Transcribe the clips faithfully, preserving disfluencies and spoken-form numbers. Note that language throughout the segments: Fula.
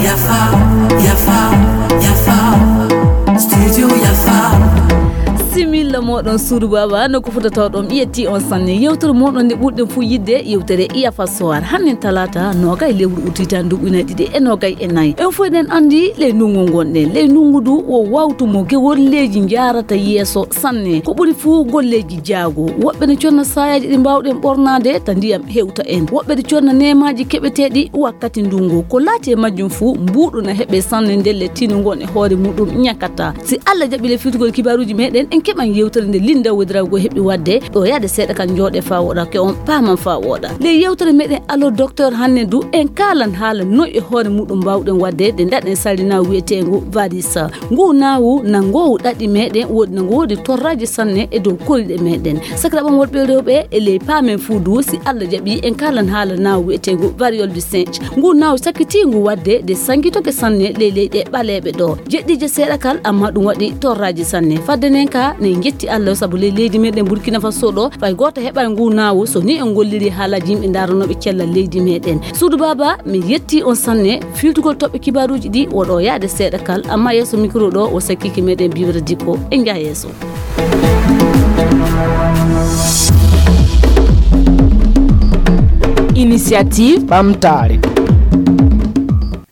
Yafa, yafa, yafa. Studio yafa. Similla moɗon suudu baba no ko fota tawɗon ƴetti on sanne yewtere moɗon nde ɓurɗen fuu yidde yewtere iyafa sowar hannen talata nogay lewru utitani duɓɓinay ɗiɗi e nogay e nayi en fof eɗen anndi ley ndungu ngonɗen ley ndungu du wo wawtu mo gewolleeji njaarata yeeso sanne ko ɓuri fuu golleeji jaago woɓɓe ne conna saayaaji ɗi mbaawɗen ɓornaade ta ndiyam hewta en woɓɓe ne conna neemaaji keɓeteeɗi wakkati ndungu ko laati e majjum fuu mbuuɗu na heɓe sanne ndelle tino ngon e hoore muɗum ñakata si allah jaɓi le filtugol kibaaruuji meɗen en keɓan yewtere nde linda wodirago heɓi wadde ɗo yaade seeɗa kan jooɗe faa woɗa ke on paaman faa woɗa le yewtere meɗen alo docteur hanne du en kaalan haala noy e hoore muɗum mbawɗen wadde nde daɗen salli nawu wiyetengu varisa ngu nawu na ngowu ɗaɗi meɗen woodi na ngoodi torraji sanne e dow koriɗe meɗen sakiraɓam worɓe rewɓe e ley paamen fuu du si allah jaɓi en kaalan haala nawu wiyetengu variol du singe ngu nawu sakkitingu wadde nde sangitoke sanne ley leyɗe ɓaleeɓe ɗo jeɗɗiije seeɗa kal amma ɗum waɗi torraji sanne fadde nden ka ne jetti allah sabu ley leydi meɗen burkina faso ɗo fay gooto heɓa ngu nawu so ni en golliri haalaji yimɓe ndaranooɓe cellal leydi meɗen suudu baba mi yetti on sanne filtugol toɓɓe kibaaruuji ɗi woɗo yaade seeɗa kal amma yeeso micro ɗo o sakkiki meɗen biwre dikko e njaha yeeso Initiative ɓamtaare.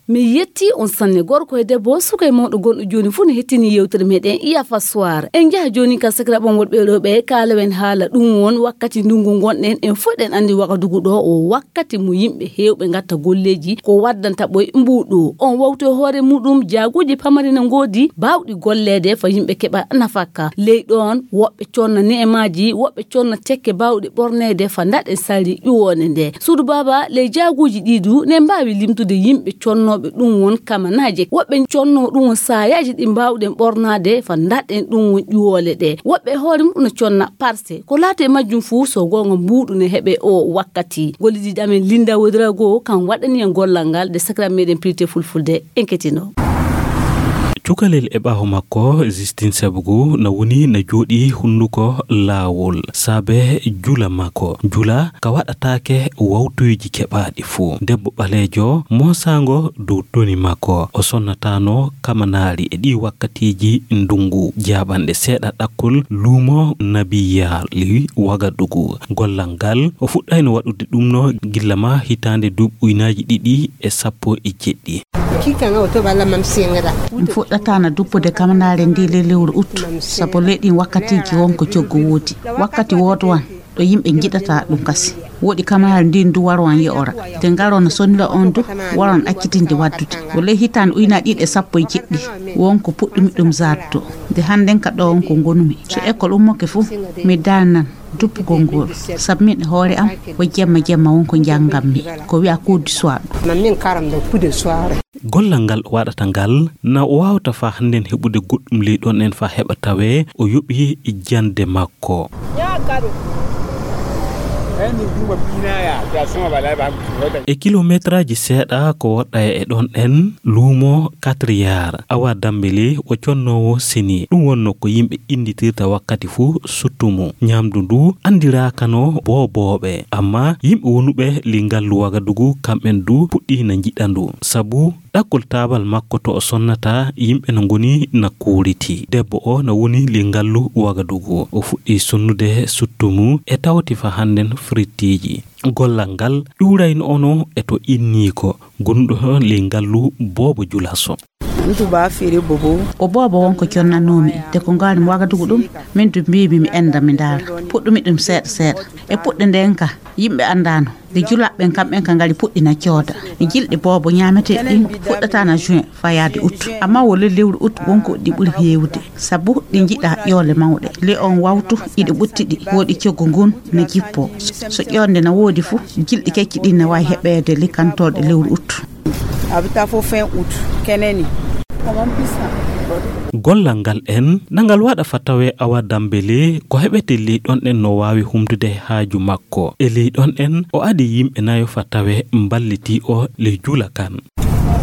Mi yetti on sanne gorko e debbo suka e mawɗo gonɗo joni fuu no hettini yewtere meɗen iyafa soir en njaha joni ka sakiraɓon woɗɓe rewɓe kalawen haala ɗum won wakkati ndungu gonɗen en fof ɗen andi wagadugu ɗo o wakkati mo yimɓe hewɓe gatta golleji ko waddanta ɓoy mbuɗu on wawto e hoore muɗum jaaguji pamari no godi bawɗi gollede fa yimɓe keɓa nafakka ley ɗon woɓɓe conna ne'emaji woɓɓe conna tekke bawɗi ɓornede fa daɗen sari ƴuwone nde suudu baba ley jaaguji ɗi du ne mbawi limtude yimɓe connoɓe ɗum won kamanaje woɓɓe conno ɗum won sayaji ɗi mbawɗen ɓornade fa daɗen ɗum won ƴuwole ɗe woɓɓe e hoore mum no conna parse ko laati e majjum fuu so gonga mbuɗu ne heɓe o wakkati gollidiɗo amen linda wodirago kam waɗani en gollal ngal nde sakiraɓe meɗen pilte fulfulde en ketino Cukalel e ɓaawo makko Justin Sebugu na woni na jooɗi hunnduko laawol saabe jula makko. Jula ka waɗataake wawtuuji keɓaaɗi fuu. Debbo ɓaleejo moosaango dow toni makko. O sonnataano kamanaari e ɗii wakkatiiji ndungu. Jaaɓanɗe seeɗa ɗakkol luumo Nabiyaali Wagadugu. Gollal ngal o fuɗɗayno waɗude ɗumno gilla ma hitaande duuɓi ujunaaji ɗiɗi e sappo e jeɗɗi. Mi fuɗɗataana duppude kamanaare ndi ley lewru ut sabu ley ɗin wakkatiiji won ko coggu woodi. Wakkati woodowan ɗo yimɓe njiɗata ɗum kasi. Woodi kamanaare ndin du warowan yo'ora. Nde ngaroon no sonnira on du warowan accitinde waddude. Ko ley hitaande ujunaaji ɗiɗi e sappo e jeɗɗi won ko puɗɗumi ɗum zaatto. Nde hannden ka ɗo won ko ngonumi. So ekkol ummoke fuu mi daalnan. Duppugol ngol sabu min e hoore am ko jemma jemma won ko njannganmi ko wiya cours du soir. Gollal ngal o waɗata ngal na o waawata faa hannden heɓude goɗɗum ley ɗon en faa heɓa tawee o yoɓi jannde makko. E kilomeetraaji seeɗa ko woɗɗaya e ɗon en luumo Katriyaar Awa Dambele o connoowo seni ɗum wonno ko yimɓe innditirta wakkati fuu suttumu. Ñaamdu ndu anndiraakano boobooɓe, ammaa yimɓe wonuɓe ley ngallu Wagadugu kamɓen du puɗɗii na njiɗa ndu. Sabu ɗakkol taabal makko to o sonnata yimɓe no ngoni na kuuriti. Debbo o na woni ley ngallu Wagadugu. O fuɗɗii sonnude suttumu e tawti fa hannden frittiiji. Gollal ngal ƴuurayno ono e to inniiko gonuɗo ley ngallu Boobo Julaso. Ko boobo won ko connanoomi te ko ngaari mi wagadugu ɗum min du mbiimi mi enda mi ndaara puɗɗumi ɗum seeɗa seeɗa e puɗɗe nden ka yimɓe andaano nde julaaɓe ɓen kamɓen ka ngari puɗɗi na cooda e jilɗi boobo ñaameteeɗi ɗin puɗɗataana juin fayaade ut amma wo ley lewru ut won ko ɗi ɓuri heewude sabu ɗi njiɗa ƴoole mawɗe ley on wawtu iɗi ɓuttiɗi woɗi coggu ngun na jippo so ƴoonde na woodi fu jilɗi kecci ɗin na wawi heɓeede likkantooɗe lewru ut. Gollal ngal en na ngal waɗa fa tawee Awa Dambele ko heɓete ley ɗon en no waawi humtude haaju makko e ley ɗon en o adi yimɓe nayo fa tawee mballiti o ley jula kan.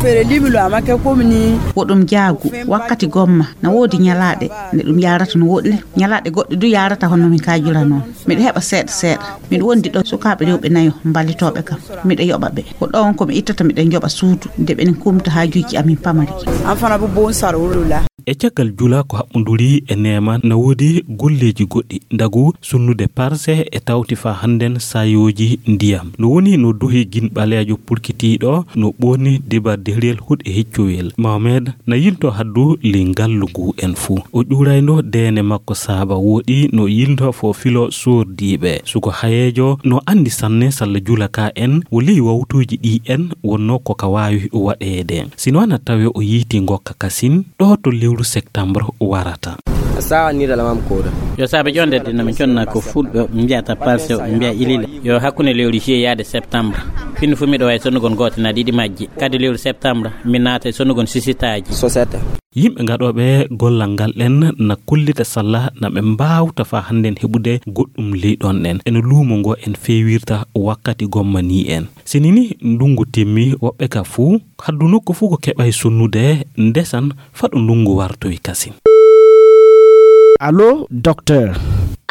Fere limilo amake komini. Wo ɗum jaagu wakkati gomma na woodi ñalaaɗe nde ɗum yaarata no woɗɗi, ñalaaɗe goɗɗe du yaarata hono min kaajura noon. Miɗo heɓa seeɗa seeɗa. Miɗo wondi ɗo sukaaɓe rewɓe nayo mbalitooɓe kam. Miɗo yoɓa ɓe. Ko ɗoon ko mi ittata miɗo njoɓa suudu nde ɓen kumta haajuuji amin pamari. An fana bu bon sar wulula. E caggal jula ko haɓɓunduri e neema na woodi golleeji goɗɗi ndagu sunnude parse e tawti faa hannden saayooji ndiyam. No woni no duhi gin ɓaleejo pulkitiiɗo no ɓooni dibar dehriyel huɗ e hiccowel. Mohamed na yilto haddu ley ngallu ngu en fuu. O ƴuurayno deene makko saaba wooɗi no yilto fo filo soordiiɓe. Suko hayeejo no anndi sanne salla jula ka en wo ley wawtuuji ɗi en wonno ko ka waawi waɗeede. Sino ana tawe o yiiti ngokka kasin ɗo to lewru septembre warata. Sawa ni da lamam koda. Yo saabe ƴonde de no mi conna ko fulɓe mbiyata palse, ɓe mbiya ilile. Yo hakkunde lewru juillet yaade septembre. Fini fu miɗo wawi sonnugol goote na ɗiɗi majji. Kadi lewru septembre mi naata e sonnugol sisitaaji. Sosete. Yimɓe gaɗooɓe gollal ngal ɗen na kollita salla na ɓe mbaawta faa hannden heɓude goɗɗum ley ɗon ɗen. Eno luumo ngo en feewirta wakkati gomma ni en. Sini ni ndungu timmi woɓɓe ka fuu, haddu nokku fuu ko keɓay sonnude ndesan faɗo ndungu wartoy kasin. Allo, docteur.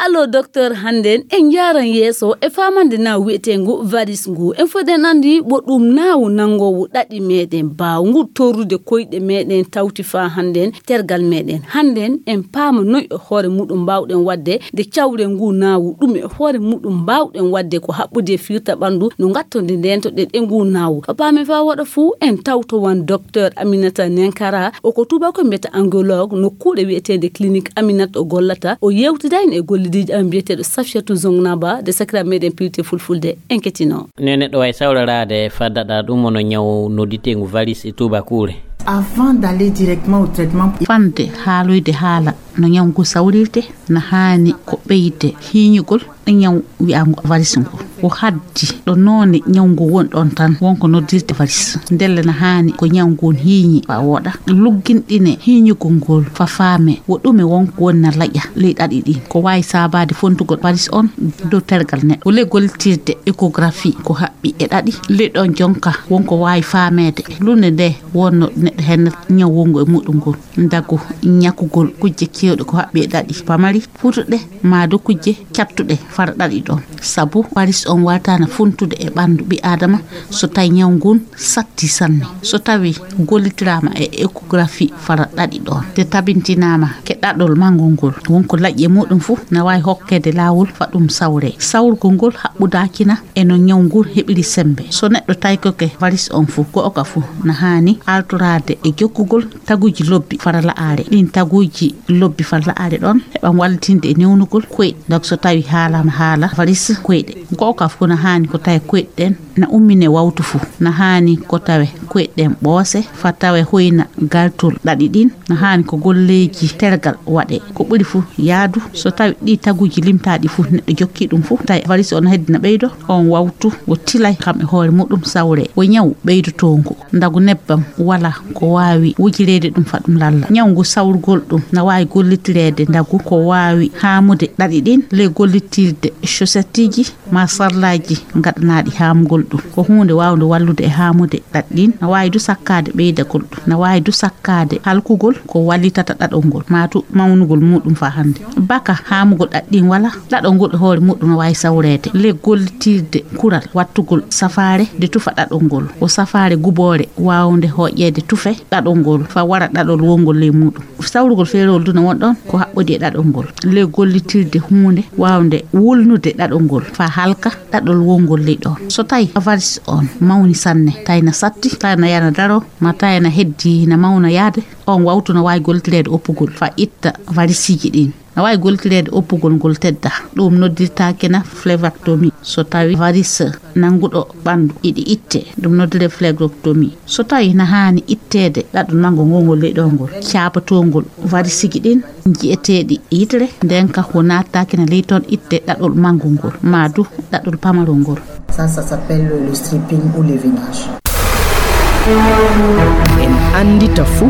Allo, docteur, hannden en njaaran yeeso e faamande naawu wi'eteengu varis ngu. En fof eɗen anndi wo ɗum naawu nanngoowu ɗaɗi meeɗen, baawngu torrude koyɗe meeɗen tawti faa hannden tergal meeɗen. Hannden en paama noy e hoore muɗum mbaawɗen waɗde nde cawren ngu naawu, ɗum e hoore muɗum mbaawɗen waɗde ko haɓɓude e firta ɓanndu no ngattonde ndeento ɗen e ngu naawu. Ko paamen faa woɗa fuu en tawtowan docteur Aminata Nenkara, o ko tuubako mbiyata angiologue nokkuure wi'eteende clinique Aminata o gollata. O yewtidayno e gollidiijo amen mbiyeteeɗo Safiyatu Zongnaba de sakira meeɗen pilte fulfulde. En ketino. Ne neɗɗo wawi sawlaraade faddaɗa ɗum wono ñaw nodditeengu varis e tuubakuure. Avant d'aller directement au traitement. Fande haaloyde haala no ñaw ngu sawrirte, na haani ko ɓeyde hiiñugol e ñaw wi'aango varis ngu. Ko haddi ɗo noone ñaw ngu woni ɗon tan wonko noddirte varis. Ndelle na haani ko ñaw ngun hiiñi fa wooɗa. Lugginɗine hiiñugol ngol fa faame wo ɗume wonko woni na laƴa ley ɗaɗi ɗin. Ko waawi saabaade fontugol varis on dow tergal neɗɗo. Ko ley gollitirde échographie ko haɓɓi e ɗaɗi. Ley ɗon jonka wonko waawi faameede. Lunde nde wonno neɗɗo hennata ñaw wongo e muɗum ngun. Ndagu ñakugol kujje keewɗe ko haɓɓi e ɗaɗi. Pamari, futuɗe, maa du kujje cattuɗe fara ɗaɗi ɗon. Sabu varis on wawtaana funtude e ɓanndu ɓii aadama so tawi ñaw ngun satti sanne. So tawi gollitiraama e échographie fara ɗaɗi ɗon, de tabintinaama ke ɗaɗol manngol ngol, wonko laƴi e muɗum fuu na waawi hokkeede laawol fa ɗum sawree. Sawrugol ngol haɓɓudaakina e no ñaw ngun heɓiri semmbe. So neɗɗo taykoke varis on fuu, go'oka fuu na haani altoraade e jokkugol taguuji lobbi fara la'aare. Ɗin taguuji lobbi fara la'aare ɗon heɓan wallitinde e newnugol koyɗe. Donc so tawi haalaama haala varis koyɗe, go'oka fuu na haani ko tawe koyɗe ɗen na ummine wawtu fuu. Na haani ko tawe koyɗe ɗen ɓoose, fa tawe hoyna galtol ɗaɗi ɗin. Na haani ko golleeji tergal waɗee. Ko ɓuri fuu yaadu, so tawi ɗi taguuji limtaaɗi fuu neɗɗo jokki ɗum fuu, tawi varis on heddina ɓeydo, on wawtu wo tilay kam e hoore muɗum sawree. Wo ñaw ɓeydotoongu. Ndagu nebbam wala ko waawi wujireede ɗum fa ɗum lalla. Ñaw ngu sawrugol ɗum na waawi gollitireede ndagu ko waawi haamude ɗaɗi ɗin ley gollitirde chaussetteji maa sarlaaji gaɗanaaɗi haamugol ɗum. Ko huunde waawnde wallude e haamude ɗaɗi ɗin. Na waawi du sakkaade ɓeydagol ɗum. Na waawi du sakkaade halkugol ko wallitata ɗaɗol ngol, maa tu mawnugol muɗum faa hannde. Baka haamugol ɗaɗi ɗin wala, ɗaɗol ngol e hoore muɗum na waawi sawreede ley gollitirde kural wattugol safaare nde tufa ɗaɗol ngol. Ko safaare guboore waawnde hooƴeede tufe ɗaɗol ngol faa wara ɗaɗol wongol ley muɗum. Sawrugol feerewol du na woni ɗon ko haɓɓodi e ɗaɗol ngol. Ley gollitirde huunde waawnde wulnude ɗaɗol ngol faa halka ɗaɗol wongol ley ɗon. So tawi varis on mawni sanne, tawi na satti, tawi na yana daro, maa tawi na heddi na mawna yaade, on wawtu na waawi gollitireede oppugol faa itta varisiji ɗin. Na waawi gollitireede oppugol ngol tedda. Ɗum noddirtaake na flévectomie. So tawi varis nannguɗo ɓanndu iɗi itte, ɗum noddiree flévectomie. So tawi na haani itteede ɗaɗol manngo ngol ngol ley ɗo ngol, caabatoo ngol varisiji ɗin nji'eteeɗi yitere, nden ka ko naataaki na ley toon itte ɗaɗol manngo ngol, maa du ɗaɗol pamarol ngol. Ça, ça s'appelle le stripping ou le veinage. En anndita fuu.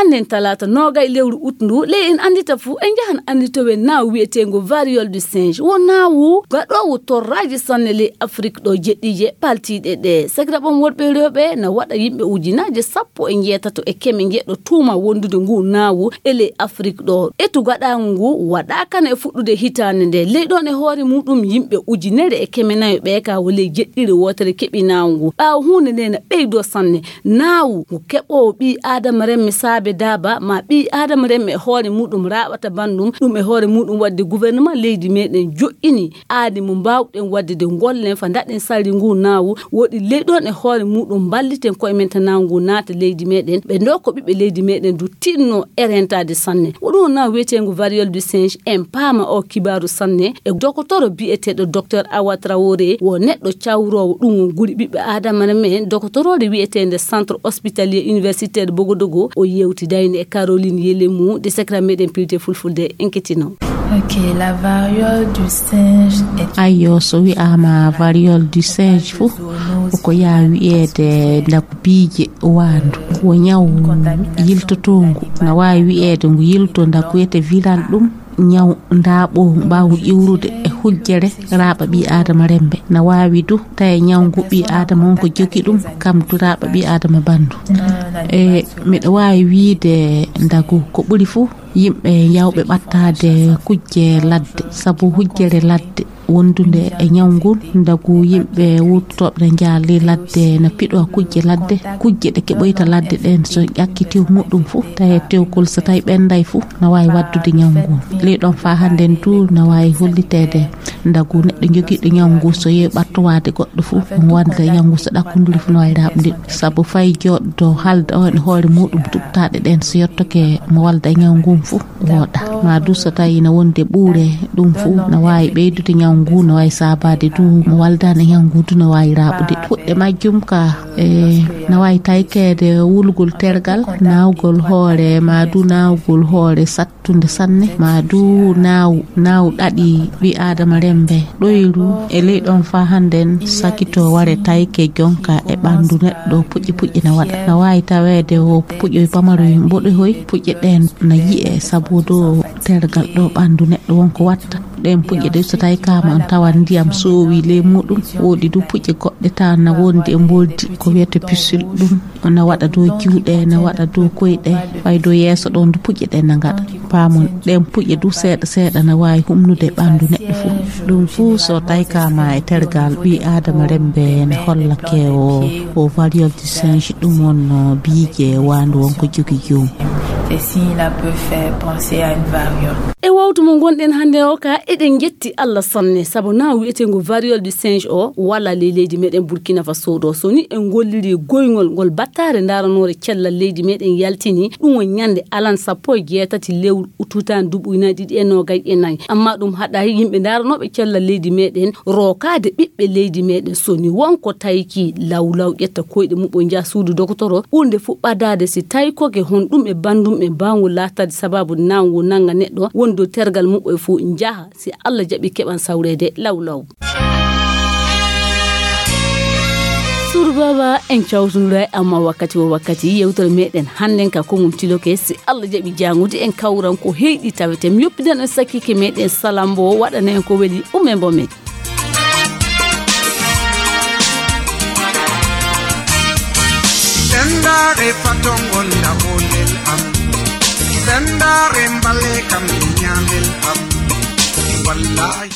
Nden talaata noogay lewru ut ndu, ley en anndita fuu, en njahan annditowe naawu wi'eteengu variole du singe. Wo naawu gaɗoowu torraaji sanne ley Afrik ɗo jeɗɗiije paltiiɗe ɗe. Sakiraaɓe am worɓe e rewɓe, na waɗa yimɓe ujunaaje sappo e njeetato e keme njeɗɗo tuuma wondude ngu naawu e ley Afrik ɗo. Etu gaɗaangu ngu waɗaaka na e fuɗɗude hitaande nde. Ley ɗon e hoore muuɗum yimɓe ujunere e keme nayo ɓe ka wo ley jeɗɗire wootere keɓi naawu ngu. Ɓaawo huunde nde na ɓeydoo sanne. Naawu ngu keɓoowo ɓii aadama remme saabe daaba, ma ɓii aadama remme e hoore muuɗum raaɓata banndum, ɗum e hoore muuɗum waɗde gouvernement leydi meɗen joƴƴini aadi mo mbaawɗen waɗde de ngollen fa ndaɗen sarri ngu naawu, woɗi ley ɗon e hoore muuɗum mballiten koye men ta naawu ngu naata leydi meɗen, ɓe ndoo ko ɓiɓɓe leydi meɗen du tinno e rentaade sanne. Wo ɗum wona wiyeteengu variole du singe, en paama o kibaaru sanne e dokotoro biyeteeɗo Docteur Awa Traoré, wo neɗɗo cawroowo ɗum won guri ɓiɓɓe aadama men, dokotoroore wiyeteende Centre Hospitalier Universitaire Bogodogo, o yewtidayno e Caroline Yelemu, de sekra meɗen pilte fulfulde en ketino. Ok, la variole du singe est... Ayyo, so wi'aama variole du singe fu, ko yaa wiyeede ndaku biije waandu. Wo ñaw yiltotoongu. Na waawi wiyeede ngu yilto ndaku wiyete viral ɗum. Ñaw ndaaɓo mbaawu ƴiwrude e hujjere raaɓa ɓii aadama remme. Na waawi du tawi ñaw ngu ɓii aadama on ko jogi ɗum, kam du raaɓa ɓii aadama bandu. E, miɗo waawi wiide ndagu ko ɓuri fuu yimɓe yawɓe ɓattaade kujje ladde, sabu hujjere ladde wondunde e ñaw ngun, ndagu yimɓe wuurtotooɓe na njaali ladde, na piɗo kujje ladde, kujje ɗe keɓoyta ladde ɗen, so ƴakki tew muɗum fu, tawi tewkol so tawi ɓenday fu, na waawi waddude ñaw ngun. Ley ɗon faa hannden du, na waawi holliteede ndagu neɗɗo jogiiɗo ñaw ngu, so yehi ɓattowaade goɗɗo fu, omo wadda ñaw ngu, so ɗakkunduri fu, na waawi raaɓude ɗum. Sabu fay jooɗo haalda on e hoore muɗum, tuɓtaaɗe ɗen, so yottoke mo walda e ñaw ngun fu, wooɗa. Ma du so tawi na wondi e ɓuure, ɗum fu na waawi ɓeydude ñaw ngu, na waawi saabaade du mo waldaani e ñaw ngu du na waawi raaɓude. Fuɗɗe majjum ka, e, na waawi taykeede wulgol tergal, naawgol hoore, ma du naawgol hoore sattunde sanne, ma du naaw, naaw ɗaɗi ɓii aadama remme. Ɗoyru e ley ɗon faa hannden sakitoo ware tayke jonka e ɓanndu neɗɗo puƴƴe puƴƴe na waɗa. Na waawi taweede o puƴoy pamaroy mboɗohoy, puƴƴe ɗeen na yi'e sabu do tergal ɗo ɓanndu neɗɗo wonko watta. Ɗeen puƴƴe ɗe so tawi kaama on tawan ndiyam soowi ley muɗum, woodi du puƴƴe goɗɗe taa na wondi e mboldi ko wiyete pucelle ɗum. Na waɗa dow juuɗe, na waɗa dow koyɗe, fay dow yeeso ɗon du puƴƴe ɗen na ngaɗa. Paamon, ɗen puƴƴe du seeɗa seeɗa na waawi humnude ɓanndu neɗɗo fuu. Ɗum fuu so tawi kaama e tergal ɓii aadama remme na hollake o, o variole du singe ɗum wonno biije waandu wonko jogi joom. C'est signe la peut faire penser à une variole. E wawtu mo ngonɗen hannde o ka, eɗen njetti Allah sanne, sabu na wiyeteengo variole du singe o wala ley leydi meɗen Burkina Faso ɗo. So ni en golliri goyngol ngol battare ndaranoore cellal leydi meɗen yaltini, ɗum won ñande alan sappo e jeetati lewru ututan duuɓi ujunaaji ɗiɗi e noogay e nayi. Amma ɗum haɗay yimɓe ndaranooɓe cellal leydi meɗen rookaade ɓiɓɓe leydi meɗen. So ni wonko tayki lawlaw ƴetta koyɗe muɓɓo njaha suudu dokotoro, ɓurnde fu ɓadaade si taykoke honɗum e banndum e mbaawngol laataade sababu nawngu nannga neɗɗo woni dow tergal muɓɓo e fu njaha. Si Allah jaɓi keɓan sawreede lawlaw. Suudu baaba en cawtundura e amma wakkati wo wakkati yewtere meɗen hannden ka kongum tiloke si Allah jaɓi jaangude en kawran ko heyɗi tawete mi yoppidan en sakkike meɗen salambo waɗana en ko weli ume mbo men. Sendare patongol ndaɓolel am. Sendare mbale kam ñaalel am. Wallahi.